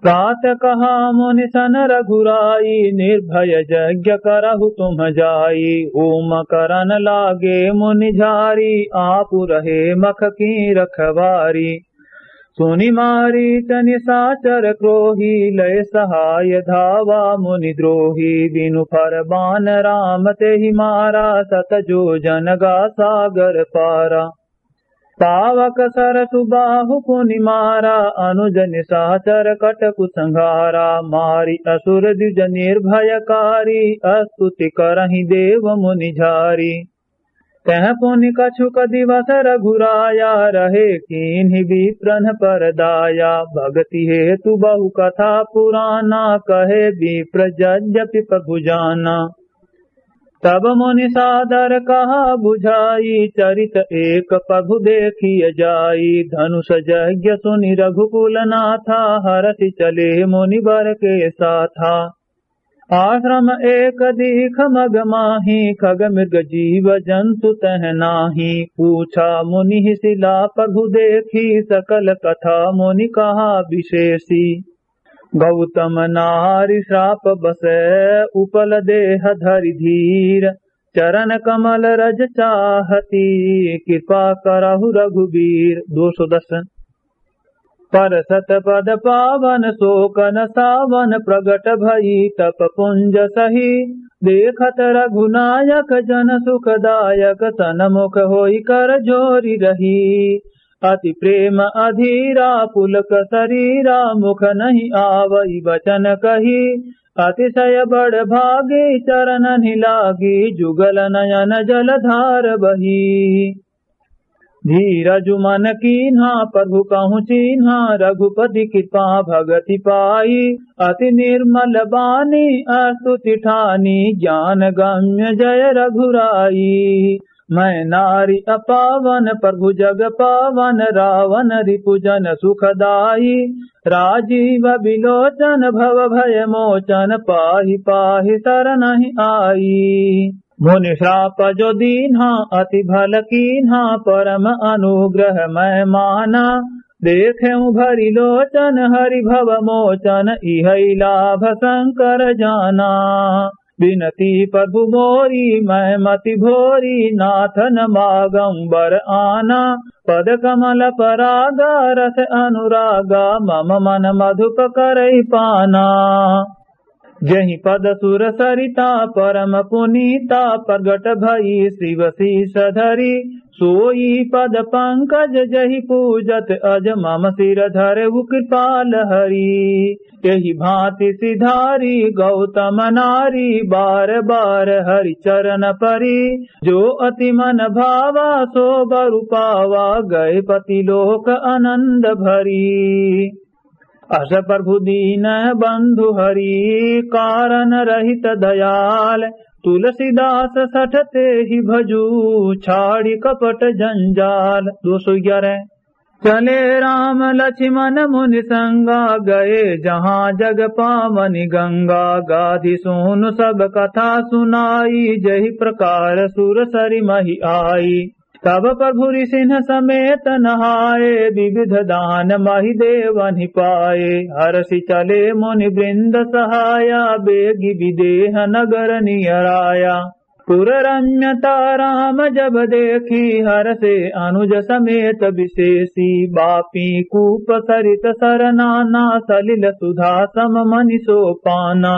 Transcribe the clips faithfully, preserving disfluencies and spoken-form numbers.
तात कहा मुनि सन रघुराई, निर्भय यज्ञ करहु तुम जाई। ओम करन लागे मुनि झारी, आप रहे मख की रखवारी। सुनि मारीच निशाचर क्रोही, लय सहाय धावा मुनि द्रोही। बिनु फर बान राम तेहि मारा, सत जोजन गा सागर पारा। पावक सरसु बाहु पुनि मारा, अनुज निशाचर कटकु संघारा। मारि असुर द्विज निर्भयकारी, स्तुति करहिं देव मुनि झारी। तह पुनि कछुक दिवस रघुराया, रहे कीन्हि विप्रन पर दाया। भगति हेतु बहु कथा पुराना, कहे विप्र यद्यपि प्रभु जाना। तब मुनि सादर कहा बुझाई, चरित एक प्रभु देखिय जाई। धनुष यज्ञ सुनि रघुकुल नाथा, हरषि चले मुनि बर के साथा। आश्रम एक दीख मग माही, खग मृग जीव जंतु तह नाही। पूछा मुनि सिला प्रभु देखी, सकल कथा मुनि कहा विशेषी। गौतम नारि श्राप बस उपल देह धरि धीर, चरण कमल रज चाहती, कृपा करहु रघुबीर। दो सौ दस। परसत पद पावन सोकन सावन, प्रगट भई तप पुंज सही। देखत रघुनायक जन सुखदायक, सनमुख होई कर जोरि रही। अति प्रेम अधीरा पुलक सरीरा, मुख नहीं आवई वचन कही। अतिशय बड़ भागी चरणन्हि लागी, जुगल नयन जलधार बही। धीरजु मन कीन्हा प्रभु कहु चीन्हा, रघुपति कृपा भगति पाई। अति निर्मल बानी स्तुति ठानी, ज्ञान गम्य जय रघुराई। मैं नारि अपावन प्रभु जग पावन, रावन रिपु जन सुखदाई। राजीव बिलोचन भव भय मोचन, पाहि पाहि सरनहि आई। मुनि श्राप जो दीन्हा अति भल कीन्हा, परम अनुग्रह मैं माना। देखेउ भरि लोचन हरि भव मोचन, इहइ लाभ शंकर जाना। बिनती प्रभु मोरी मैं मति भोरी, नाथ न मागउँ बर आना। पद कमल परागा रस अनुरागा, मम मन मधुप करइ पाना। जहि पद सुर सरिता परम पुनीता, प्रगट भई शिव शीश धरी। सोई पद पंकज जहि पूजत अज, मम सिर धरउ कृपाल हरी। एहि भाँति सिधारी गौतम नारी, बार बार हरि चरण परी। जो अति मन भावा सो बरु पावा, गए पति लोक आनंद भरी। अस प्रभु दीन बंधु हरि, कारण रहित दयाल। तुलसीदास सठ तेहि भजु, छाड़ि कपट जंजाल। दो सौ ग्यारह। चले राम लक्ष्मण मुनि संगा, गए जहाँ जग पावनि गंगा। गाधि सोनु सब कथा सुनाई, जहि प्रकार सुर सरि महि आई। तब प्रभु रिसिन्ह समेत नहाए, विविध दान महि देवन्हि पाए। हरषि चले मुनि वृंद सहाया, बेगि विदेह नगर नियराया। पुर रम्यता राम जब देखी, हरषे अनुज समेत विशेषी। बापी कूप सरित सर नाना, सलिल सुधा सम मनि सो पाना।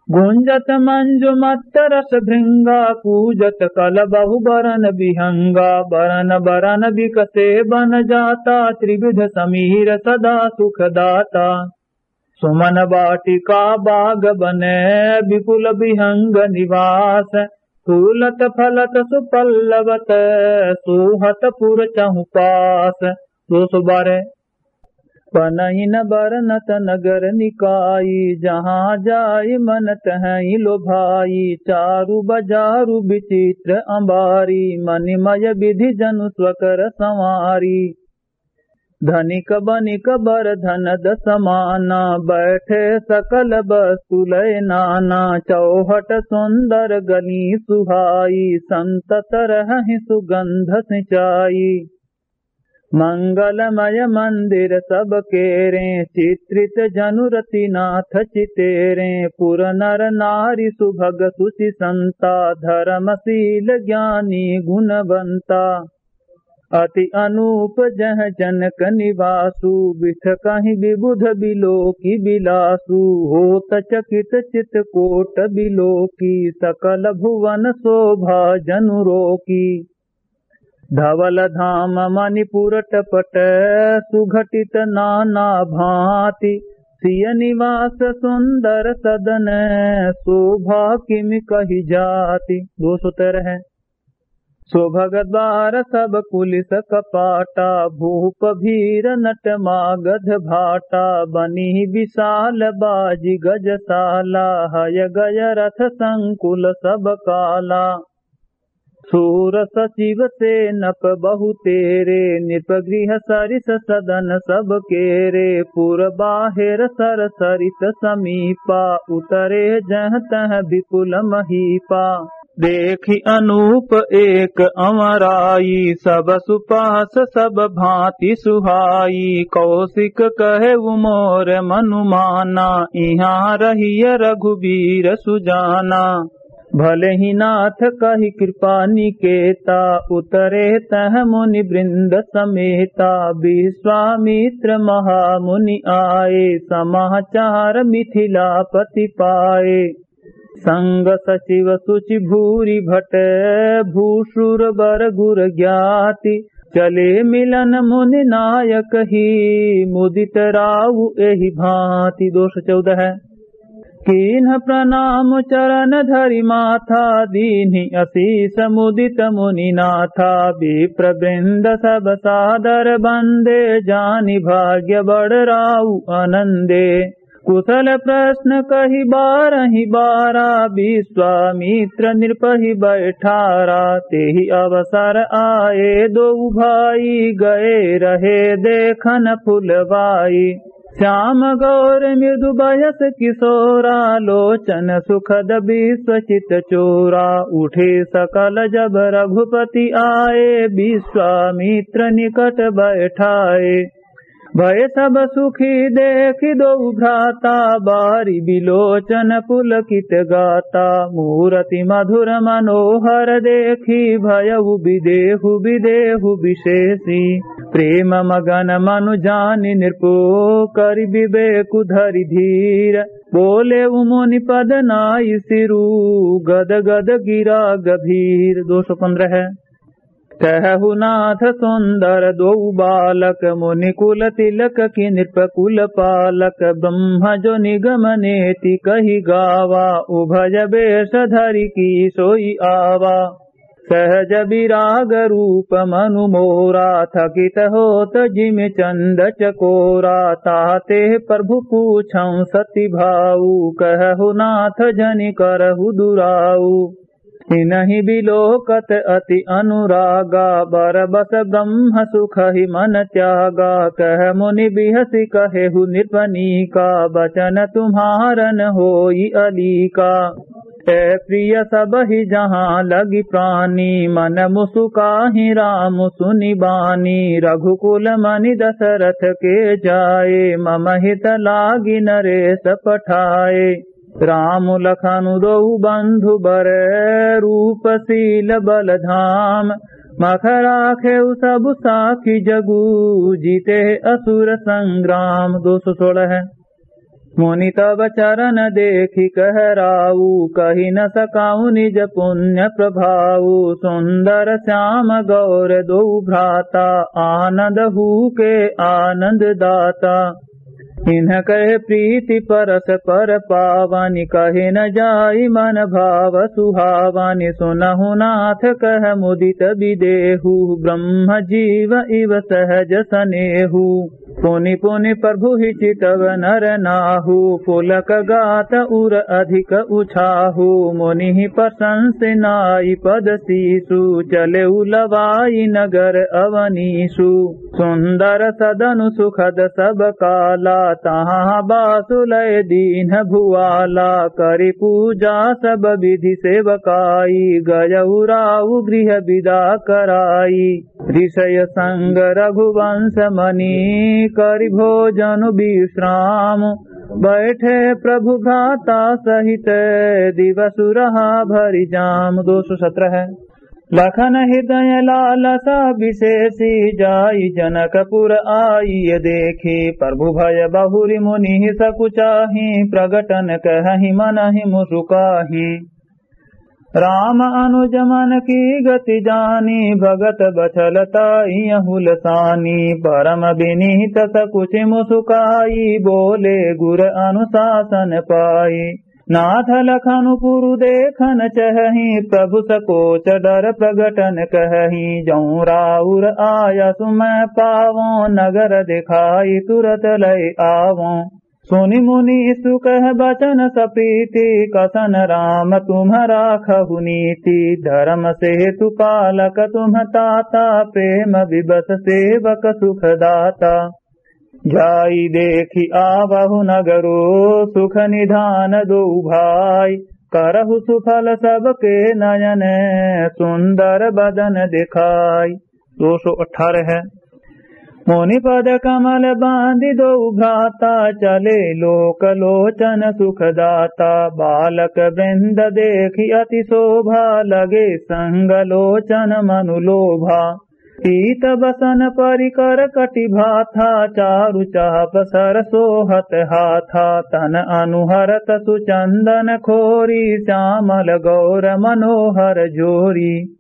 गुंजत मंजु मत्त रस भृंगा, कूजत कलबहु बरन बिहंगा। बरन बरन बिकसे बन जाता, त्रिविध समीर सदा सुख दाता। सुमन वाटिका बाग बन विपुल बिहंग निवास। फूलत फलत सुपल्लवत, सोहत पुर चहुपास। दो सौ बारह। पनइन बरनत नगर निकाई, जहाँ जाई मन तहई लोभाई। चारु बजारु विचित्र अंबारी, मणिमय विधि जनु स्वकर संवारी। धनिक बनिक बर धनद समाना, बैठे सकल वस्तु लय नाना। चौहट सुंदर गली सुहाई, संत तरहहि सुगंध सिंचाई। मंगलमय मंदिर सब केरे, चित्रित जनु रति नाथ चितेरे। पुर नर नारी सुभग सुचि संता, धर्मशील ज्ञानी गुणवंता। अति अनूप जह जनक निवासु, बिथ कहि विबुध बिलोकि बिलासु। होत चकित चित कोट बिलोकि, सकल भुवन शोभा जनु रोकि। धवल धाम मणिपुर टपट, सुघटित नाना भांति। सिय निवास सुंदर सदन, शोभा किम कहि जाति। दो सौ तेरह। सोभग द्वार सब कुलिस कपाटा, भूप भीर नट मागध भाटा। बनी विशाल बाजि गजसाला, हय गय रथ संकुल सब काला। सूर सचिव सेनप बहुतेरे, नृप गृह सरिस सदन सब केरे। पुर बाहेर सर सरित समीपा, उतरे जह तह विपुल महीपा। देखि अनूप एक अमराई, सब सुपास सब भांति सुहाई। कौशिक कहेउ मोर मनुमाना, इहाँ रहिय रघुबीर सुजाना। भले ही नाथ कहि कृपा निकेता, उतरे तह मुनि वृंद समेता। विश्वामित्र महामुनि आए, समाचार मिथिलापति पाए। संग सचिव सुचि भूरि भट, भूसुर बर गुर ज्ञाति। चले मिलन मुनि नायक ही, मुदित राउ एहि भांति। दो सौ चौदह। कीन्ह प्रणाम चरण धरि माथा, दीन्हि असीस मुदित मुनि नाथा। विप्र वृंद सब सादर बंदे, जानि भाग्य बड़ राउ आनंदे। कुशल प्रश्न कहि बारहि बारा, विश्वामित्र नृपहि बैठारा। तेहि अवसर आए दोउ भाई, गए रहे देखन फुलवाई। श्याम गौर मृदु बयस किशोरा, लोचन सुखद विश्व चित चोरा। उठे सकल जब रघुपति आए, विश्वामित्र निकट बैठाए। भय सब सुखी देखि दोउ भ्राता, बारि बिलोचन पुलकित गाता। मूरति मधुर मनोहर देखि, भयउ बिदेहु बिदेहु बिसेसी। प्रेम मगन मनु जानि नृपु, करि बिबेकु धरि धीर। बोलेउ मुनि पद नाइ सिरु, गद गद गिरा गभीर। दो सौ पन्द्रह। कहहु नाथ सुंदर दोउ बालक, मुनि कुल तिलक की नृप कुल पालक। ब्रह्म जो निगम नेति कहि गावा, उभय बेष धरि की सोइ आवा। सहज विराग रूप मनु मोरा, थकित होत जिमि चंद चकोरा। ताते प्रभु पूछउँ सति भाऊ, कहहु नाथ जनि करहु दुराऊ। इनहिं बिलोकत अति अनुरागा, बरबस ब्रह्म सुखहि मन त्यागा। कह मुनि बिहसि कहेहु नृपनीका, बचन तुम्हारन होई अलीका। ए प्रिय सबहि जहाँ लगि प्रानी, मन मुसुकाहि राम सुनि बानी। रघुकुल मनि दशरथ के जाए, मम हित लागि नरेश पठाए। राम लखन दोउ बंधु बर, रूप सील बल धाम। मख राखेउ सब साखी जगु, जीते असुर संग्राम। दो सौ सोलह। मुनि तब चरण देखि कह राऊ, कहि न सकाऊ निज पुण्य प्रभाऊ। सुंदर श्याम गौर दोउ भ्राता, आनंद हूके आनंद दाता। इन्ह कहे प्रीति परस्पर पावनि, कहे न जाई मन भाव सुहावनि। सुनहु नाथ कह मुदित बिदेहु, ब्रह्म जीव इव सहज सनेहु। पुनि पुनि प्रभु ही चितव नर नाहु, पुलक गात उर अधिक उछाहु। मुनि ही प्रशंस नाई पद सीसु, चलेउ लवाई नगर अवनीसु। सुंदर सदनु सुखद सब काला, तहाँ बासुलय दीन्ह भुआला, करि पूजा सब बिधि सेवकाई, गयउ राउ गृह बिदा कराई। ऋषय संग रघुवंश मनि करि भोजन बिश्राम, बैठे प्रभु भ्राता सहित दिवसु रहा भरि जाम। दो सौ सत्रह। लखन हृदय लालसा बिसेसी, जाइ जनकपुर आइय देखि, प्रभु भय बहुरि मुनि सकुचाही, प्रगटन कहहि मनहि मुसुकाही। राम अनुज मन की गति जानी, भगत बछल ताइ अहुलसानी, परम बिनीत सकुचि मुसुकाई, बोले गुर अनुसासन पाई। नाथ लखनु पुरु देखन चहहि, प्रभु सकोच डर प्रगटन कहहि। जौं राउर आयसु मह पावौं, नगर देखाइ तुरत लय आवौं। सुनि मुनीसु कह बचन सप्रीति, कसन राम तुम्ह राखहु नीति। धरम सेतु पालक तुम्ह ताता, प्रेम विवस सेवक सुखदाता। जाइ देखि आवहु नगरो, सुख निधान दोउ भाई। करहु सुफल सबके नयन, सुंदर बदन देखाई। दो सौ अठारह। मुनि पद कमल बांधि दोउ भ्राता, चले लोक लोचन सुखदाता। बालक वृंद देखि अति शोभा, लगे संग लोचन मनु लोभा। पीत बसन परिकर कटि भाथा, चारु चाप सर सोहत हाथा। तन अनु हरत सुचंदन खोरी, श्यामल गौर मनोहर जोरी।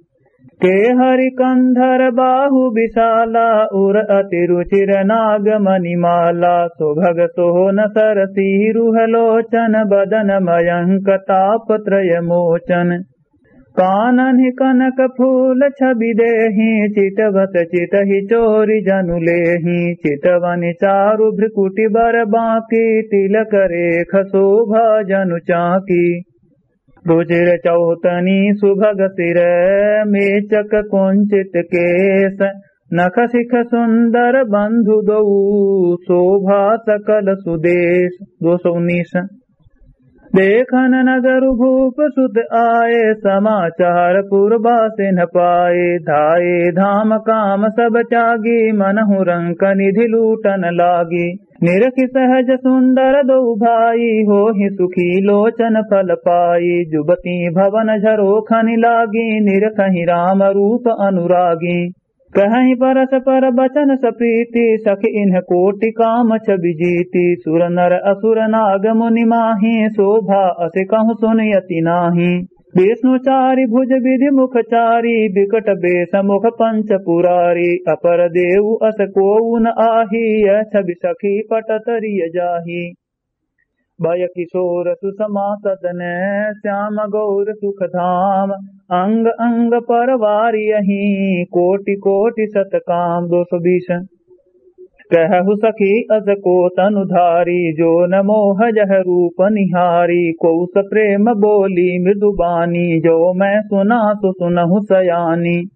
केहरि कंधर बाहु विशाला, उर अति रुचिर नाग मणिमाला। सुभग सोहन सरसीरुह लोचन, बदन मयंक ताप त्रय मोचन। काननि कनक फूल छवि देहि, चितवत चितहि चोरी जनु लेहि। चितवनि चारु भ्रिकुटि बर बांकी, तिलक रेख शोभा जनु चांकी। रुचिर चौतनी सुभग सिर, मेचक कुंचित केस। नख सिख सुंदर बंधु दोउ, शोभा सकल सुदेस। दो सौ उन्नीस। देखन नगरु भूप सुत आए, समाचार पुरबासिन पाए। धाए धाम काम सब त्यागी, मनहु रंक निधि लूटन लागी। निरखि सहज सुंदर दोउ भाई, होहि सुखी लोचन फल पाई। जुबती भवन झरोखनि लागी, निरखहि राम रूप अनुरागी। कहहि परस्पर बचन सप्रीति, सखि इन्ह कोटि काम छवि जीति। सुर नर असुर नाग मुनि माहि, शोभा असि कहु सुनि अति नाहि। विष्णु चारि भुज विधि मुख चारि, विकट बेस मुख पंच पुरारि। अपर देउ अस कोउ न आहि, यह छवि सखि पट तरिय जाहि। भय किशोर सुषमा सदन, श्याम गौर सुख धाम। अंग अंग परवारि यहि, कोटि कोटि सत काम। दो सौ बीस। कहु सखि अस को तनु धारी, जो न मोह यह रूप निहारी। कोउ सप्रेम बोली मृदु बानी, जो मैं सुना सो सुनहु सयानी।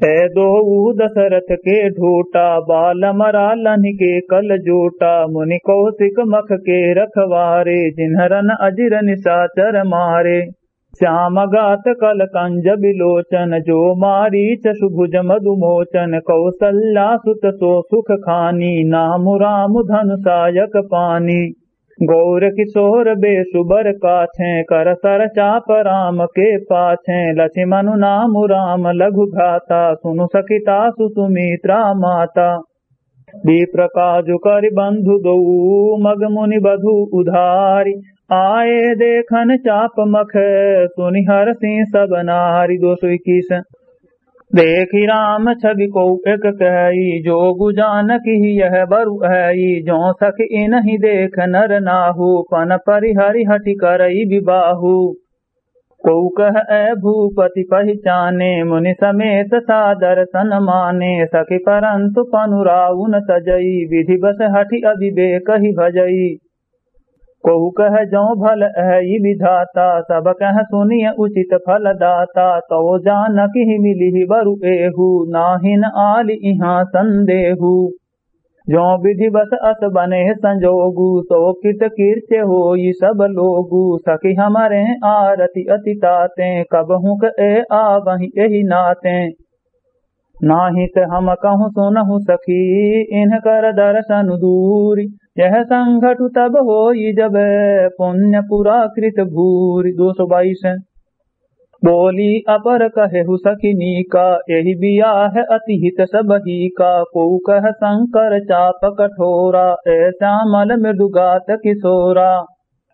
ए दोऊ दशरथ के ढोटा, बाल मरा लन्हि के कल जोटा। मुनि कौशिक मख के रखवारे, जिन्हरन अजिर निशाचर मारे। श्याम गात कल कंज विलोचन, जो मारीच सुभुज मधुमोचन। कौसल्या सुत सो सुख खानी, नाम राम धनुषायक पानी। गौर किशोर बेसु बर काछे, कर सर चाप राम के पाछे। लछिमनु नाम राम लघु भ्राता, सुनु सखि तासु सुमित्रा माता। विप्र काजु करि बंधु दोऊ, मग मुनि बधु उधारि। आए देखन चाप मख, सुनि हरसि सब नारि। दो सौ इक्कीस। देखि राम छवि कोउ एक कहई, जोगु जानकि यह बरु अहई। जो सखि इनहि देख नर नाहु, पन परिहरि हठि करई विबाहु। कोउ कह ए भूपति पहिचाने, मुनि समेत सादर सन माने। सखि परंतु पनु राउ न तजई, विधिवश हठि अविवेकहि भजई। कोउ कह जो भल अहई विधाता, सब कह सुनिय उचित फल दाता। तौ जानकि मिलिहि बरु एहू, नाहिन आलि इहाँ संदेहू। जो विधि बस अस बने संजोगु, सो कृत कृत्य होई सब लोगु। सखी हमरे आरती अति ताते, कबहुँ क ए आवहीं एहि नाते। नाहीं त हम कहूँ सुनहु सखी, इनकर दर्शन दूरी। यह संघटु तब होई जब, पुण्य पुरा कृत भूरी। दो सौ बाईस। बोली अपर कहेहु सखिनी का, एहि बियाह अति हित सबही का। कोउ कह शंकर चाप कठोरा, ए श्यामल मृदु गात किशोरा।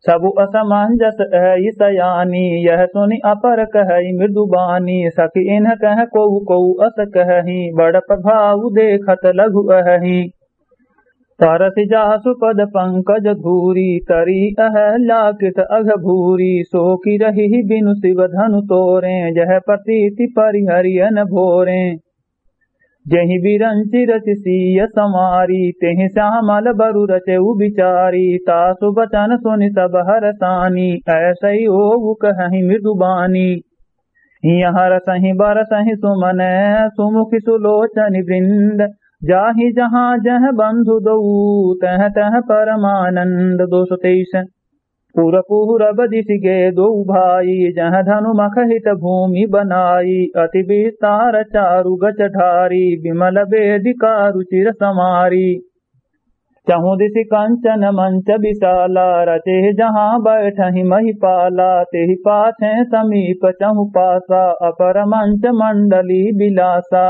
सबु असमंजस अहइ सयानी, यह सुनि अपर कहइ मृदु बानी। सखि इन्ह कह कोउ कोउ अस कहहीं, बड़ प्रभाव देखत लघु अहहीं। परसि जासु पद पंकज धूरी, तरी अहल्या कृत अघ भूरी। सो किरहिहि बिनु शिव धनु तोरें, यह प्रतीति परिहरि अन भोरें। जेहि बिरंचि रचि सीय संवारी, तेहि श्यामल बरु रचेउ बिचारी। तासु बचन सुनि सब हरसानी, ऐसइ ओउ कहहिं मृदु बानी। हियँ हरसहिं बरसहिं सुमन, सुमुखि सुलोचनि वृंद। जाहि जहाँ जह बंधु दोउ, तह तह परमानंद। दो सौ तेईस। पुर पूरब दिसि गे दोउ भाई, जह धनु मखहित भूमि बनाई। अति विस्तार चारु गज ढारी, बिमल वेदिका रुचिर संवारी। चहुँ दिसि कंचन मंच बिसाला, रचे जहाँ बैठहिं महिपाला। तेहि पाछे समीप चहुँ पासा, अपर मंच मंडली बिलासा।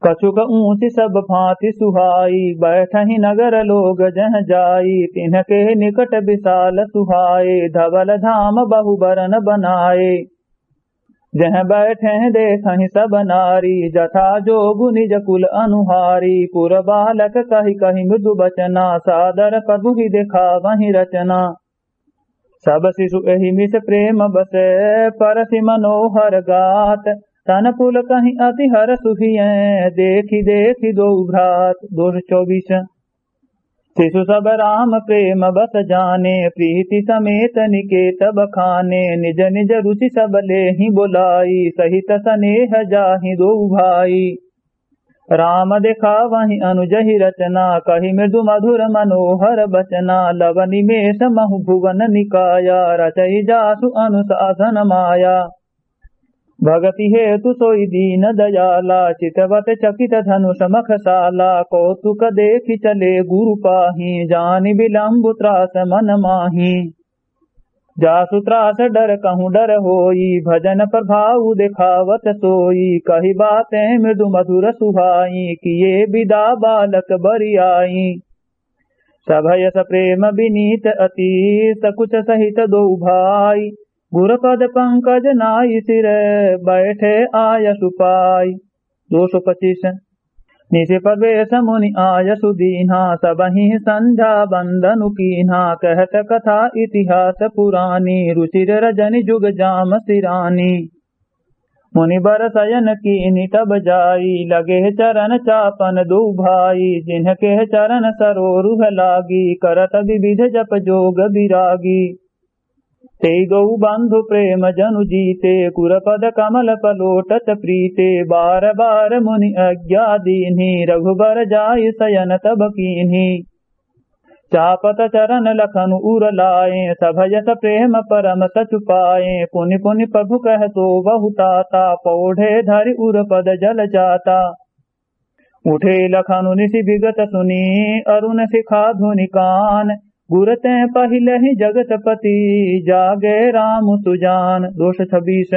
कछुक ऊँचि सब भाँति सुहाई, बैठहिं नगर लोग जह जाई। तिन्हके निकट बिसाल सुहाए, धवल धाम बहु बरन बनाए। जह बैठें देखहिं सब नारी, जथा जोगु निज कुल अनुहारी। पुर बालक कहि कहि मृदु बचना, सादर प्रभु ही देखावहिं रचना। सब शिशु एहि मिस प्रेम बस, परसि मनोहर गात। तन पुलकहिं अति हरसु हियँ, देखि देखि दोउ भ्रात। दो सौ चौबीस। शिशु सब राम प्रेम बस जाने, प्रीति समेत निकेत बखाने। निज निज रुचि सब लेहिं बोलाई, सहित सनेह जाहिं दोउ भाई। राम देखावहिं अनु जहि रचना, कहि मृदु मधुर मनोहर बचना। लव निमेष महु भुवन निकाया, रचइ जासु अनुशासन माया। भगति हेतु सोइ दीन दयाला, चितवत चकित धनुष मखसाला। कौतुक देखि चले गुरु पाहीं, जानि विलंबु त्रास मन माहीं। जासु त्रास डर कहूँ डर होई, भजन प्रभाव देखावत सोई। कहि बातें मृदु मधुर सुहाई, किए विदा बालक बरियाई। सभयस प्रेम विनीत अति, सकुच सहित दोउ भाई। गुर पद पंकज नाई सिर, बैठे आयसु पाई। दो सौ पच्चीस। निसि प्रवेश मुनि आयसु दीन्हा, सबहिं संध्या बंदनु कीन्हा। कहत कथा इतिहास पुरानी, रुचिर रजनि जुग जाम सिरानी। मुनि बर सयन कीन्हि तब जाई, लगे चरन चापन दोउ भाई। जिनके चरन सरोरुह लागी, करत विविध जप जोग बिरागी। तेइ दोउ बंधु प्रेम जनु जीते, गुर पद कमल पलोटत प्रीते। बार बार मुनि आज्ञा दीन्ही, रघुबर जाय सयन तब कीन्ही। चापत चरन लखनु उर लाए, सभयस प्रेम परम सचु पाए। पुनि पुनि प्रभु कह सोवहु ताता, पौढ़े धरि उर पद जल जाता। उठे लखनु निसि बिगत सुनी, अरुण शिखा धुनि कान। गुर तें पहिलहि जगतपति, जागे राम सुजान। दो सौ छब्बीस।